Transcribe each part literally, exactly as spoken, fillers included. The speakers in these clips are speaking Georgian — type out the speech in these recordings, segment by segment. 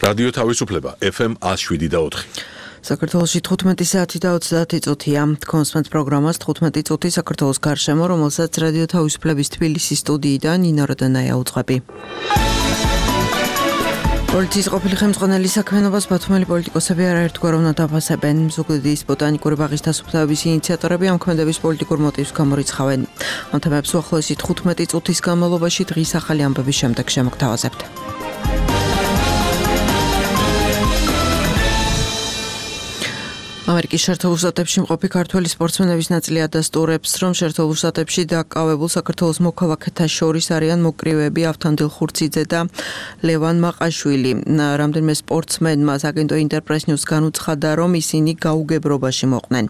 რადიო თავისუფლება ეფ ემ one oh seven და four. საქართველოში თხუთმეტი საათი და ოცდაათი წუთია. Თქვენს პროგრამას თხუთმეტი წუთი საქართველოს გარშემო, რომელსაც რადიო თავისუფლების თბილისის სტუდიიდან ნინო როდანაია უძღვები. პოლიციის ყოფილი ხელმძღვანელი საქმიანობას ბათუმელი პოლიტიკოსები არაერთგვაროვნად აფასებენ. ზუგდიდის ბოტანიკური ბაღის დასუფთავების ინიციატორები ამ ქმედების პოლიტიკურ მოტივს გამორიცხავენ. ამ თემებს უახლოესი თხუთმეტი წუთის განმავლობაში დღის ახალი ამბების შემდეგ შემოგთავაზებთ. ამერიკის შეერთებულ შტატებში მყოფი ქართველი სპორტსმენების ნაწილი ადასტურებს, რომ შეერთებულ შტატებში დაკავებულ საქართველოს მოქალაქეთა შორის არიან მოკრივეები ავთანდილ ხურციძე და ლევან მაყაშვილი. რამდენიმე სპორტსმენმა აგენტო ინტერპრეს ნიუს განუცხადა, რომ ისინი გაუგებრობაში მოყვნენ.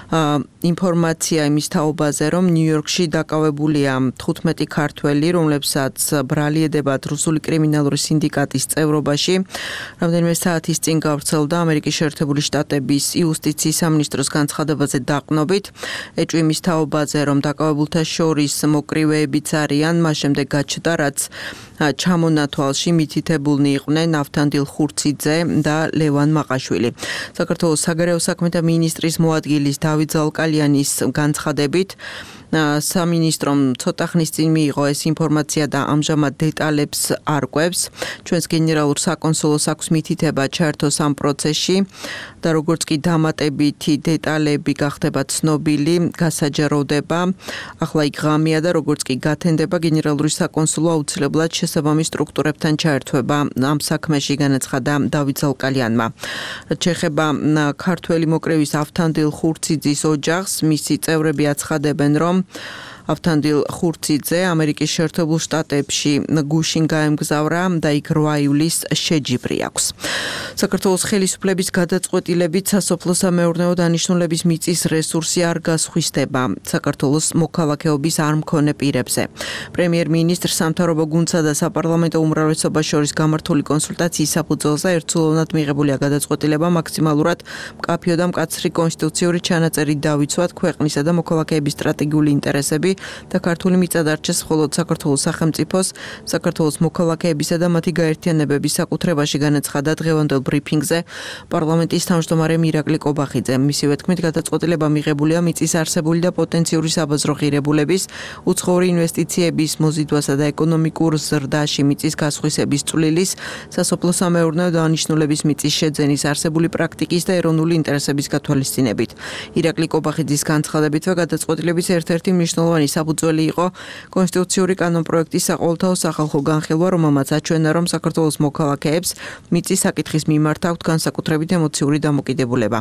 ინფორმაცია იმის თაობაზე, რომ ნიუ-იორკში დაკავებულია თხუთმეტი ქართველი, რომლებსაც ბრალი ედებათ რუსული კრიმინალური სინდიკატის წევრობაში. რამდენიმე საათის წინ გავრცელდა ამერიკის შეერთებული შტატების იუსტიციის სამინისტროს განცხადებაზე დაყრდნობით. ეჭვი იმის თაობაზე, რომ დაკავებულთა შორის მოკრივეებიც არიან, მას შემდეგ გაჩნდა, რაც ჩამონათვალში მითითებულნი იყვნენ ავთანდილ ხურციძე და ლევან მაყაშვილი. საქართველოს საგარეო საქმეთა მინისტრის მოადგილის დავით ზალკალიანის განცხადებით, სამინისტრომ ცოტა ხნის წინ მიიღო ეს ინფორმაცია და ამჟამად დეტალებს არკვევს. ჩვენს გენერალურ საკონსულოს აქვს მითითება ჩაერთოს ამ პროცესში და როგორც კი დამატებითი დეტალები გახდება ცნობილი, გასაჯაროვდება. ახლა იქ ღამეა და როგორც კი გათენდება, გენერალური საკონსულო აუცილებლად შესაბამის სტრუქტურებთან ჩაერთვება ამ საქმეში, განაცხადა დავით ზალკალიანმა. რაც შეეხება ქართველი მოკრევის ავთანდილ ხურციძის ოჯახს, მისი წევრები აცხადებენ, რომ ავთანდილ ხურციძე ამერიკის შეერთებულ შტატებში გუშინ გაემგზავრა და იქ რვა ივლისს შეჯიბრი აქვს. საქართველოს ხელისუფლების გადაწყვეტილებით სასოფლო-სამეურნეო დანიშნულების მიწის რესურსი არ გასხვისდება საქართველოს მოქალაქეობის არ მქონე პირებზე. პრემიერ-მინისტრ სამთავრობო გუნდსა და საპარლამენტო უმრავლესობას შორის გამართული კონსულტაციის საფუძველზე ერთსულოვნად მიღებულია გადაწყვეტილება მაქსიმალურად მკაფიო და მკაცრი კონსტიტუციური ჩანაწერით დავიცვათ ქვეყნისა და მოქალაქეების სტრატეგიული ინტერესები და ქართული მიწა დარჩეს მხოლოდ საქართველოს სახელმწიფოს, საქართველოს მოქალაქეებისა და მათი გაერთიანებების საკუთრებაში, განაცხადა დღევანდელ ბრიფინგზე პარლამენტის თავმჯდომარე მირაკლი კობახიძე. მისივე თქმით, გადაწყვეტილება მიღებულია მიწის არსებული და პოტენციური საბაზრო ღირებულების, უცხოური ინვესტიციების მოზიდვასა და ეკონომიკურ ზრდაში მიწის გასხვისების წვლილის, სასოფლო-სამეურნეო დანიშნულების მიწის შეძენის არსებული პრაქტიკის და ეროვნული ინტერესების გათვალისწინებით. ირაკლი კობახიძის განცხადებითვე გადაწყვეტილების ერთ-ერთი მნიშვნელოვანი საფუძველი იყო კონსტიტუციური კანონპროექტის საყოველთაო სახალხო განხილვა, რომელმაც აჩვენა, რომ საქართველოს მოქალაქეებს მიწის საკითხის მიმართ აქვთ განსაკუთრებით ემოციური დამოკიდებულება.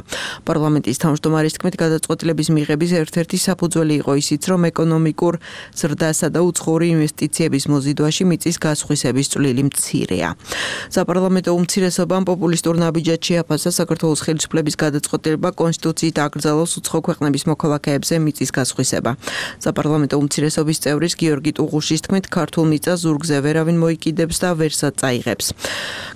პარლამენტის თავმჯდომარის თქმით, გადაწყვეტილების მიღების ერთ-ერთი საფუძველი იყო ისიც, რომ ეკონომიკურ ზრდასა და უცხოური ინვესტიციების მოზიდვაში მიწის გასხვისების წვლილი მცირეა. საპარლამენტო უმცირესობამ პოპულისტურ ნაბიჯად შეაფასა საქართველოს ხელისუფლების გადაწყვეტილება კონსტიტუციით აკრძალოს უცხო ქვეყნების მოქალაქეებზე მიწის გასხვისება. საპარლამენტო უმცირესობის წევრის გიორგი ტუღუშის თქმით, ქართულ მიწას ზურგზე ვერავინ მოიკიდებს და ვერსად წაიღებს.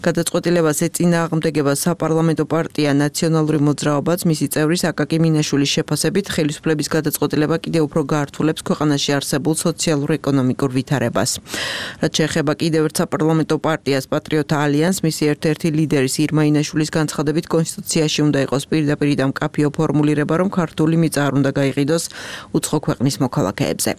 გადაწყვეტილებას ეწინააღმდეგება საპარლამენტო პარტია ნაციონალური მოძრაობაც, მისი წევრის აკაკი მინაშვილის შეფასებით, ხელისუფლების გადაწყვეტილება კიდევ უფრო გაართულებს ქვეყანაში არსებულ სოციალურ-ეკონომიკურ ვითარებას. რაც შეეხება კიდევ ერთ საპარლამენტო პარტიას პატრიოტთა ალიანსს, მისი ერთ-ერთი ლიდერის ირმა ინაშვილის განცხადებით, კონსტიტუციაში უნდა იყოს პირდაპირ და მკაფიო ფორმულირება, რომ ქართული მიწა არ უნდა გაიყიდოს უცხო ქვეყნის მოქალაქეებზე.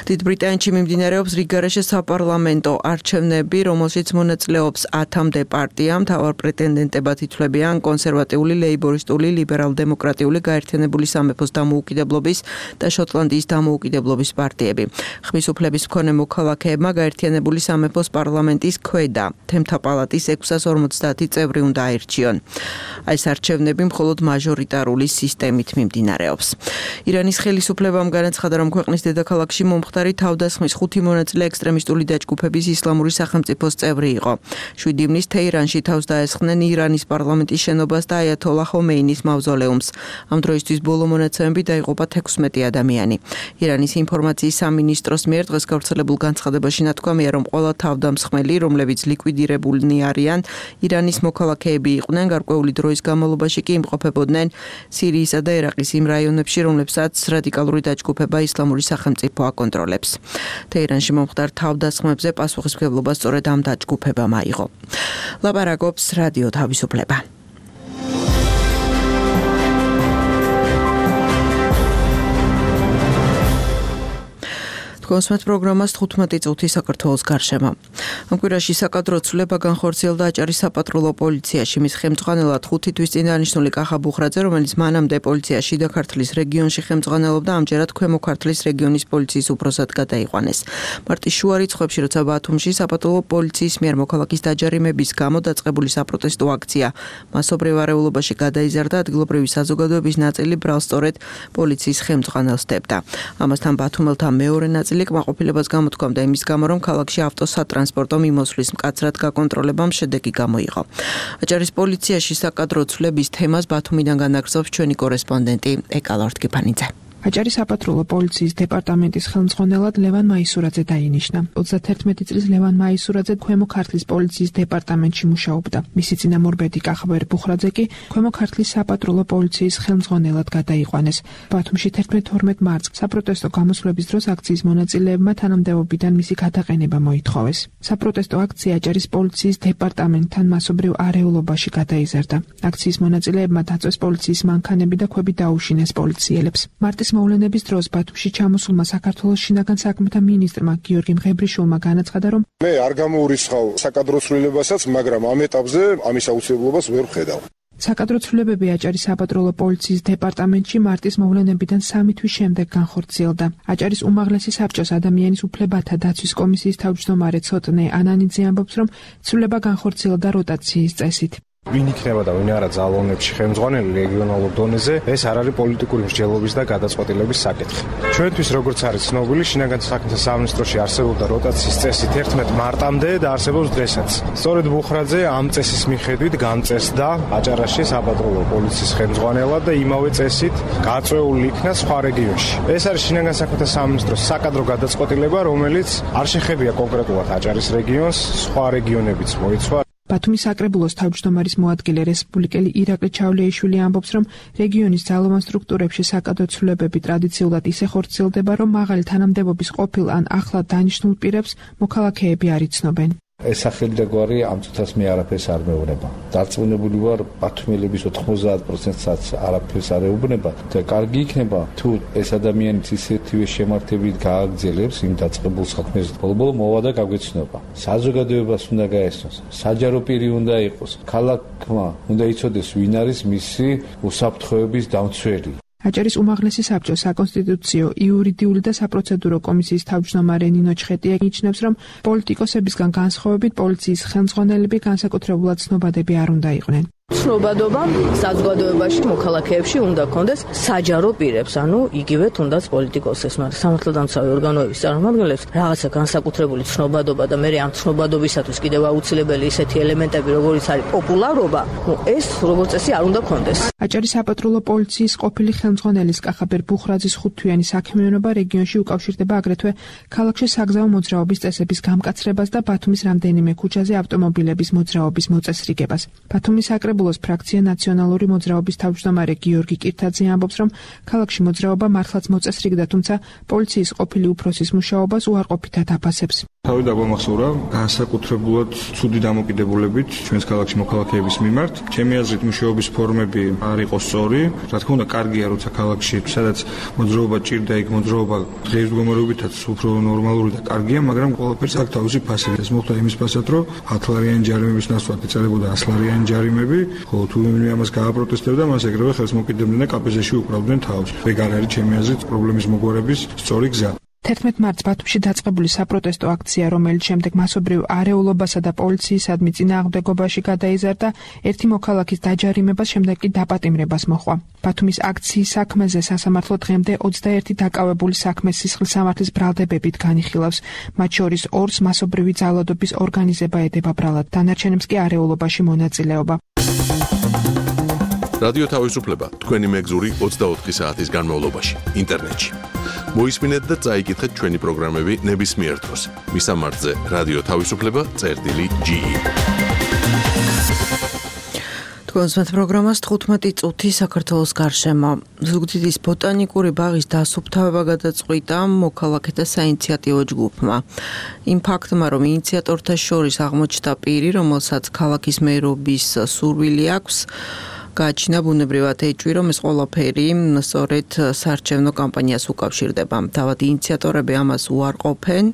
დიდ ბრიტანეთში მიმდინარეობს რიგგარეშე საპარლამენტო არჩევნები, რომელშიც მონაწილეობს ათამდე პარტია, მთავარ პრეტენდენტებად ითვლებიან კონსერვატიული, ლეიბორისტული, ლიბერალ-დემოკრატიული, გაერთიანებული სამეფოს დამოუკიდებლობის და შოტლანდიის დამოუკიდებლობის პარტიები. ხმის უფლების მქონე მოქალაქეებმა გაერთიანებული სამეფოს პარლამენტის ქვედა თემთა პალატის ექვსას ორმოცდაათი წევრი უნდა აირჩიონ. ეს არჩევნები მხოლოდ მაჟორიტარული სისტემით მიმდინარეობს. ირანის ხელისუფლებამ განაცხადა, რომ ქვეყნის დედაქალაქში მომხდარი თავდასხმის ხუთი მონაწილე ექსტრემისტული დაჯგუფების ისლამური სახელმწიფოს წევრი იყო. შვიდი ივნისს თეირანში თავს დაესხნენ ირანის პარლამენტის შენობას და აიათოლა ხომეინის მავზოლეუმს. ამ დროისთვის ბოლო მონაცემებით დაიღუპა თექვსმეტი ადამიანი. ირანის ინფორმაციის სამინისტროს მიერ დღეს გავრცელებულ განცხადებაში ნათქვამია, რომ ყველა თავდამსხმელი, რომლებიც ლიკვიდირებულნი არიან, ირანის მოქალაქეები იყვნენ, გარკვეული დროის განმავლობაში კი იმყოფებოდნენ სირიისა და ერაყის იმ რაიონებში, რომლებსაც რადიკალური დაჯგუფება ისლამური სახელმწიფო აკონტროლებს. თეირანში მომხდარ თავდასხმებზე პასუხისმგებლობა სწორედ ამ დაჯგუფებამ აიღო. ლაპარაკობს რადიო თავისუფლება. კონსმეთ პროგრამას თხუთმეტი წუთი საქართველოს გარშემო. ამ კვირაში საკადრო ცვლილება განხორციელდა აჭარის საპატრულო პოლიციაში. მის ხელმძღვანელად ხუთი თვის წინ დანიშნული კახა ბუხრაძე, რომელიც მანამდე პოლიციაში შიდა ქართლის რეგიონში ხელმძღვანელობდა, ამჯერად ქვემო ქართლის რეგიონის პოლიციის უფროსად გადაიყვანეს. მარტის შუა რიცხვებში, როცა ბათუმში საპატრულო პოლიციის მიერ მოქალაქის დაჯარიმების გამო დაწყებული საპროტესტო აქცია მასობრივ არეულობაში გადაიზარდა, ადგილობრივი საზოგადოების ნაწილი ბრალსწორედ პოლიციის ხელმძღვანელს სდებდა. ამასთან ბათუმელთა მეორე ნაწილი კმაყოფილებას გამოთქვამდა იმის გამო, რომ ქალაქში ავტოსატრანსპორტო მიმოსვლის მკაცრად გაკონტროლებამ შედეგი გამოიღო. აჭარის პოლიციაში საკადრო ცვლილების თემას ბათუმიდან განაგრძობს ჩვენი კორესპონდენტი ეკალორთ კიფანიძე. აჭარის საპატრულო პოლიციის დეპარტამენტის ხელმძღვანელად ლევან მაისურაძე დაინიშნა. ოცდაათერთმეტი წლის ლევან მაისურაძე ქვემო ქართლის პოლიციის დეპარტამენტში მუშაობდა. მისი წინამორბედი კახაბერ ბუხრაძე კი ქვემო ქართლის საპატრულო პოლიციის ხელმძღვანელად გადაიყვანეს. ბათუმში თერთმეტ-ორმეტ მარტს საპროტესტო გამოსვლების დროს აქციის მონაწილეებმა თანამდებობიდან მისი გადაყენება მოითხოვეს. საპროტესტო აქცია აჭარის პოლიციის დეპარტამენტთან მასობრივ არეულობაში გადაიზარდა. აქციის მონაწილეებმა დაწვეს პოლიციის მანქანები და ქვები დაუშინეს პოლიციელებს. მარტის მოვლენების დროს ბათუმში ჩამოსულმა საქართველოს შინაგან საქმეთა მინისტრმა გიორგი მღებრიშვილმა განაცხადა, რომ მე არ გამოურისხავ საკადრო ცვლილებასაც, მაგრამ ამ ეტაპზე ამის აუცილებლობას ვერ ვხედავ. საკადრო ცვლილებები აჭარის საპატრულო პოლიციის დეპარტამენტში მარტის მოვლენებიდან სამი თვის შემდეგ განხორციელდა. აჭარის უმაღლესი საბჭოს ადამიანის უფლებათა დაცვის კომისიის თავმჯდომარე ცოტნე ანანიძე ამბობს, რომ ცვლილება განხორციელდა როტაციის წესით. ვინ იქნება და ვინ არა ძალოვნებში ხელმძღვანელი რეგიონალურ დონეზე, ეს არ არის პოლიტიკური მსჯელობის და გადაწყვეტილების საკითხი. ჩვენთვის, როგორც არის ცნობილი, შინაგან საქმეთა სამინისტროში არსებობდა როტაციის წესი თერთმეტ მარტამდე და არსებობს დღესაც. სწორედ ბუხრაძე ამ წესის მიხედვით გამწესდა აჭარაში საპატრულო პოლიციის ხელმძღვანელად და იმავე წესით გაწეული იქნა სხვა რეგიონში. ეს არის შინაგან საქმეთა სამინისტროს საკადრო გადაწყვეტილება, რომელიც არ შეხებია კონკრეტულად აჭარის რეგიონს, სხვა რეგიონებიც მოიცვა. ბათუმის საკრებულოს თავმჯდომარის მოადგილე რესპუბლიკელი ირაკლი ჩავლეიშვილი ამბობს, რომ რეგიონის ძალოვან სტრუქტურებში საკადრო ცვლილებები ტრადიციულად ისე ხორციელდება, რომ მაღალი თანამდებობის ყოფილ ან ახლად დანიშნულ პირებს მოქალაქეები არ იცნობენ. ეს სახელი და გვარი ამ წუთას მე არაფერს არ მეუბნება. დარწმუნებული ვარ, ბათუმელების ოთხმოცდაათ პროცენტსაც არაფერს არ ეუბნება და კარგი იქნება თუ ეს ადამიანიც ისეთივე შემართებით გააგრძელებს იმ დაწყებულ საქმეს. ბოლო-ბოლო მოვა და გაგვეცნობა. საზოგადოებას უნდა გაესწროს, საჯარო პირი უნდა იყოს, ქალაქმა უნდა იცოდეს ვინ არის მისი უსაფრთხოების დამცველი. აჭარის უმაღლესი საბჭოს საკონსტიტუციო, იურიდიული და საპროცედურო კომისიის თავმჯდომარე ნინო ჩხეტია ნიშნავს, რომ პოლიტიკოსებისგან განსხვავებით პოლიციის ხელმძღვანელები განსაკუთრებულად ცნობადები არ უნდა იყვნენ. ცნობადობა საზოგადოებაში მოქალაქეებში უნდა კონდეს საჯარო პირებს, ანუ იგივე თუნდაც პოლიტიკოსებს, მაგრამ სამართალდამცავი ორგანოების წარმომადგენლებს რაღაცა განსაკუთრებული ცნობადობა და მე ამ ცნობადობისათვის კიდევ აუცილებელი ისეთი ელემენტები, როგორიც არის პოპულარობა, ну ეს როგორც წესი არ უნდა კონდეს. აჭარის საპატრულო პოლიციის ყოფილი ხელმძღვანელის კახაბერ ბუხრაძის ხუთთვიანი საქმიანობა რეგიონში უკავშირდება აგრეთვე ქალაქში საგზაო მოძრაობის წესების გამკაცრებას და ბათუმის რამდენიმე ქუჩაზე ავტომობილების მოძრაობის მოწესრიგებას. ბათუმის საკრებულოს ფრაქცია ნაციონალური მოძრაობის თავმჯდომარე გიორგი კირთაძე ამბობს, რომ ქალაქში მოძრაობა მართლაც მოწესრიგდა, თუმცა პოლიციის ყოფილი უფროსის მუშაობას უარყოფითად აფასებს. თავი დაგვამახსოვრა განსაკუთრებულად ცუდი დამოკიდებულებით ჩვენს ქალაქში მოქალაქეების მიმართ. ჩემი აზრით მუშაობის ფორმები არ იყო სწორი. რა თქმა უნდა, კარგია, როცა ქალაქში, სადაც მოძრაობა ჭირდა, იქ მოძრაობა ღირსშესანიშნაობითაც უფრო ნორმალური და კარგია, მაგრამ ყველაფერს აქვს თავისი ფასი. ეს მოხდა იმის ფასად, რომ ათლარიანი ჯარიმების ნაცვლად ეწელებოდა ასლარიანი ჯარიმები, ხოლო თუ ვინმე ამას გააპროტესტებდა, მას ეგრევე ხელს მოკიდებდნენ და კაპეზეში უკრავდნენ თავს. ეგ არ არის ჩემი აზრით პრობლემის მოგვარების სწორი გზა. თერთმეტ მარტს ბათუმში დაწყებული საპროტესტო აქცია, რომელიც შემდეგ მასობრივ არეულობასა და პოლიციისადმი წინააღმდეგობაში გადაიზარდა, ერთი მოქალაქის დაჯარიმებას, შემდეგ კი დაპატიმრებას მოჰყვა. ბათუმის აქციის საქმეზე სასამართლო დღემდე ოცდაერთი დაკავებული საქმეს სისხლის სამართლის ბრალდებებით განიხილავს. მათ შორის ორს მასობრივი ძალადობის ორგანიზება ედება ბრალად, დანარჩენებს კი არეულობაში მონაწილეობა. რადიო თავისუფლება თქვენი მეგზური ოცდაოთხი საათის განმავლობაში ინტერნეტში. მოისმინეთ და წაიკითხეთ ჩვენი პროგრამები ნებისმიერ დროს. მისამართზე რადიო თავისუფლება წერტილი ჯი. თქვენს პროგრამას თხუთმეტი წუთი საქართველოს გარშემო. ზუგდიდის ბოტანიკური ბაღის დასუფთავება გადაწყვიტა მოქალაქეთა საინიციატივო ჯგუფმა. იმ ფაქტმა, რომ ინიციატორთა შორის აღმოჩნდა პირი, რომელსაც ქალაქის მერობის სურვილი აქვს, გააჩინა ბუნებრივად ეჭვი, რომ ეს ყველაფერი სწორედ საარჩევნო კამპანიას უკავშირდება. თავად ინიციატორები ამას უარყოფენ.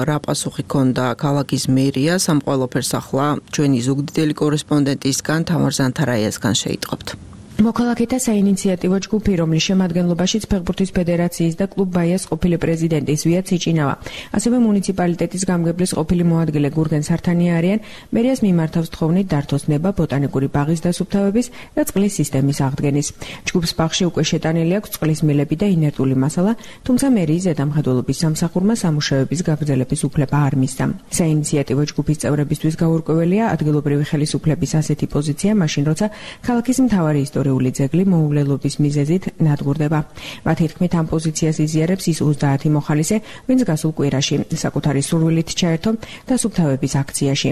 რა პასუხი ჰქონდა ქალაქის მერიას ამ ყველაფერს ახლა ჩვენი ზუგდიდელი კორესპონდენტისგან თამარ ზანთარაიასგან შეიტყობთ. მოქალაქეთა საინიციატივო ჯგუფი, რომლის შემადგენლობაშიც ფეხბურთის ფედერაციის და კლუბ ბაიას ყოფილი პრეზიდენტი ზვია ციჭინავა, ასევე მუნიციპალიტეტის გამგებლის ყოფილი მოადგილე გურგენ სართანია არიან, მერიას მიმართავს თხოვნით დართოს ნება ბოტანიკური ბაღის დასუფთავების და წყლის სისტემის აღდგენის. ჯგუფს ბაღში უკვე შეტანილი აქვს წყლის მილები და ინერტული მასალა, თუმცა მერიის ზედამხედველობის სამსახურმა სამუშაოების გაგრძელების უფლება არ მისცა. საინიციატივო ჯგუფის წევრებისთვის გაურკვეველია ადგილობრივი ხელისუფლების ასეთი პოზიცია, მაშინ როცა ქალაქის მთავარი ისტორიული ძეგლი მოუვლელობის მიზეზით ნადგურდება. მათი თქმით, ამ პოზიციას იზიარებს ის ოცდაათი მოხალისე, ვინც გასულ კვირაში საკუთარი სურვილით ჩაერთო დასუფთავების აქციაში.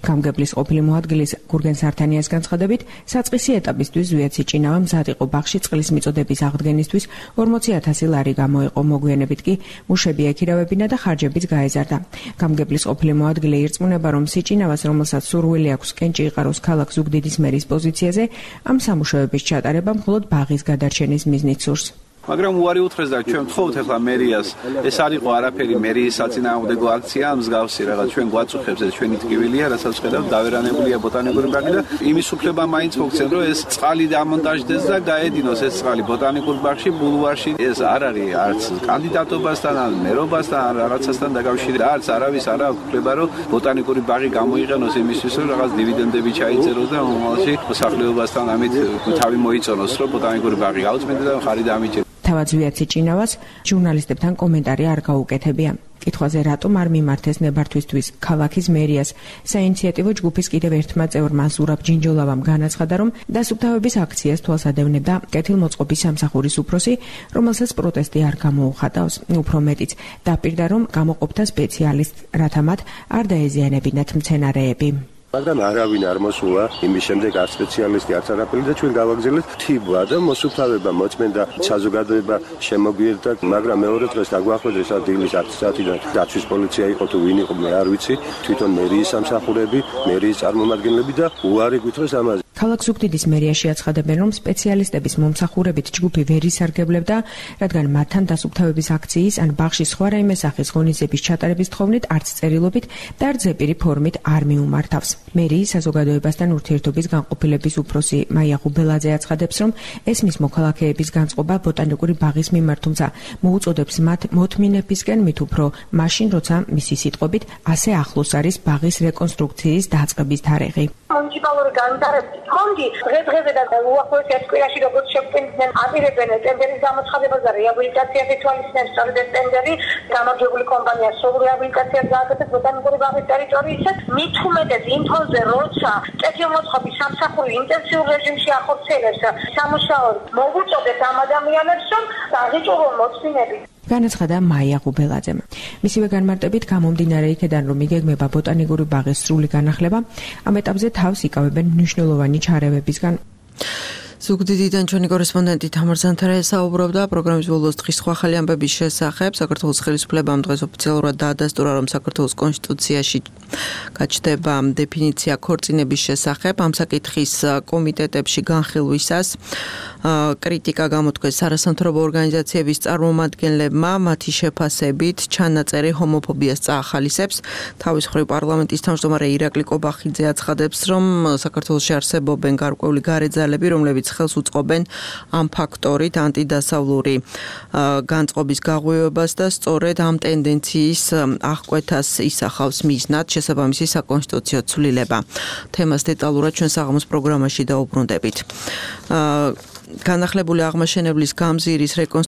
გამგებლის ყოფილი მოადგილის გურგენ სართანიას განცხადებით, საწყისი ეტაპისთვის ზვია ციჭინავა მზად იყო ბაღში წყლის მიწოდების აღდგენისთვის ორმოცი ათასი ლარი გამოიყო, მოგვიანებით კი მუშები ეკირავებინა და ხარჯებიც გაეზარდა. გამგებლის ყოფილი მოადგილე ირწმუნება, რომ ციჭინავას, რომელსაც სურვილი აქვს კენჭი იყაროს ქალაქ ზუგდიდის მერის პოზიციაზე, ამ სამუშაოების ჩატარება მხოლოდ ბაღის გადარჩენის მიზნით სურს. მაგრამ უარი უთხრეს და ჩვენ ვთხოვთ ახლა მერიას, ეს არ იყო არაფერი მერიის საწინააღმდეგო აქცია, მსგავსი რაღაც ჩვენ გვაწუხებს ეს ჩვენი ტკივილია, რასაც ხედავთ დავერანებულია ბოტანიკური ბაღი და იმის უფლება მაინც მოგცენ, რომ ეს წყალი დამონტაჟდეს და გაედინოს ეს წყალი ბოტანიკურ ბაღში, ბულვარში. ეს არ არის არც კანდიდატობასთან, ან მერობასთან, ან რაღაცასთან დაკავშირებული. არც არავის არ აქვს უფლება, რომ ბოტანიკური ბაღი გამოიყენოს იმისთვის, რომ რაღაც დივიდენდები ჩაიწეროს და მომავალში მოსახლეობასთან ამით თავი მოიწონოს, რომ ბოტანიკური ბაღი გაუწმენდა და ხარი დამიჭერა. თავად ზვია ციჭინავას ჟურნალისტებთან კომენტარი არ გაუკეთებია. კითხვაზე რატომ არ მიმართეს ნებართვისთვის ქალაქის მერიას, საინიციატივო ჯგუფის კიდევ ერთმა წევრმა ზურაბ ჯინჯოლავამ განაცხადა, რომ დასუფთავების აქციას თვალს ადევნებდა კეთილმოწყობის სამსახურის უფროსი, რომელსაც პროტესტი არ გამოუხატავს. უფრო მეტიც დაპირდა, რომ გამოყოფთა სპეციალისტს, რათა მათ არ დაეზიანებინათ მცენარეები. მაგრამ არავინ არ მოსულა იმის შემდეგ არ სპეციალისტი არც არაფერი და ჩვენ გავაგზავნეთ თიბვა და მოსუფთავება მოწმენდა საზოგადოება შემოგვიერთა, მაგრამ მეორე დღეს დაგვახვედრეს დილის ათი საათიდან დაცვის პოლიცია იყო თუ ვინ იყო მე არ ვიცი, თვითონ მერიის სამსახურები, მერიის წარმომადგენლები და უარი გვითხრეს ამაზე. ქალაქ ზუგდიდის მერიაში აცხადებენ, რომ სპეციალისტების მომსახურებით ჯგუფი ვერ ისარგებლებდა, რადგან მათთან დასუფთავების აქციის ან ბაღში სხვა რაიმე სახის ღონისძიების ჩატარების თხოვნით არც წერილობით და არც ზეპირი ფორმით არ მიუმართავს. მერიის საზოგადოებასთან ურთიერთობის განყოფილების უფროსი მაია ღუბელაძე აცხადებს, რომ ესმის მოქალაქეების განწყობა ბოტანიკური ბაღის მიმართ, თუმცა მოუწოდებს მათ მოთმინებისკენ მით უფრო მაშინ, როცა მისი სიტყვებით ასე ახლოს არის ბაღის რეკონსტრუქციის დაწყების თარიღი. მუნიციპალური განვითარების ფონდი დღე-დღეზე და უახლოეს ერთ კვირაში როგორც შეგვიძლია აპირებენ ტენდერის გამოცხადებას და რეაბილიტაციას ითვალისწინებს, სწორედ ეს ტენდერი გამარჯვებული კომპანია სულ რეაბილიტაციას გააკეთებს ბოტანიკური ბაღის ტერიტორიისას. მით უმეტეს იმ ფონზე, როცა კეთილმოწყობის სამსახური ინტენსიურ რეჟიმში ახორციელებს სამუშაოს, მოუწოდებს ამ ადამიანებს, რომ აღიჭურონ მოწინები. განაცხადა მაია ღუბელაძემ. მისივე განმარტებით გამომდინარე იქედან, რომ იგეგმება ბოტანიკური ბაღის სრული განახლება, ამ ეტაპზე თავს იკავებენ მნიშვნელოვანი ჩარევებისგან. ზუგდიდიდან ჩვენი კორესპონდენტი თამარ ზანთარაია საუბრობდა პროგრამის ბოლოს დღის სხვა ახალი ამბების შესახებ. საქართველოს ხელისუფლებამ დღეს ოფიციალურად დაადასტურა, რომ საქართველოს კონსტიტუციაში გაჩნდება დეფინიცია ქორწინების შესახებ. ამ საკითხის კომიტეტებში განხილვისას კრიტიკა გამოთქვეს არასამთავრობო ორგანიზაციების წარმომადგენლებმა, მათი შეფასებით ჩანაწერი ჰომოფობიას წაახალისებს. თავის მხრივ პარლამენტის თავმჯდომარე ირაკლი კობახიძე აცხადებს, რომ საქართველოში არსებობენ გარკვეული გარეძალები, რომლებიც ხელს უწყობენ ამ ფაქტორით ანტიდასავლური განწყობის გაღვივებას და სწორედ ამ ტენდენციის აღკვეთას ისახავს მიზნად შესაბამისი საკონსტიტუციო ცვლილება. თემას დეტალურად ჩვენ საღამოს პროგრამაში დაუბრუნდებით. განახლებული აღმაშენებლის გამზირის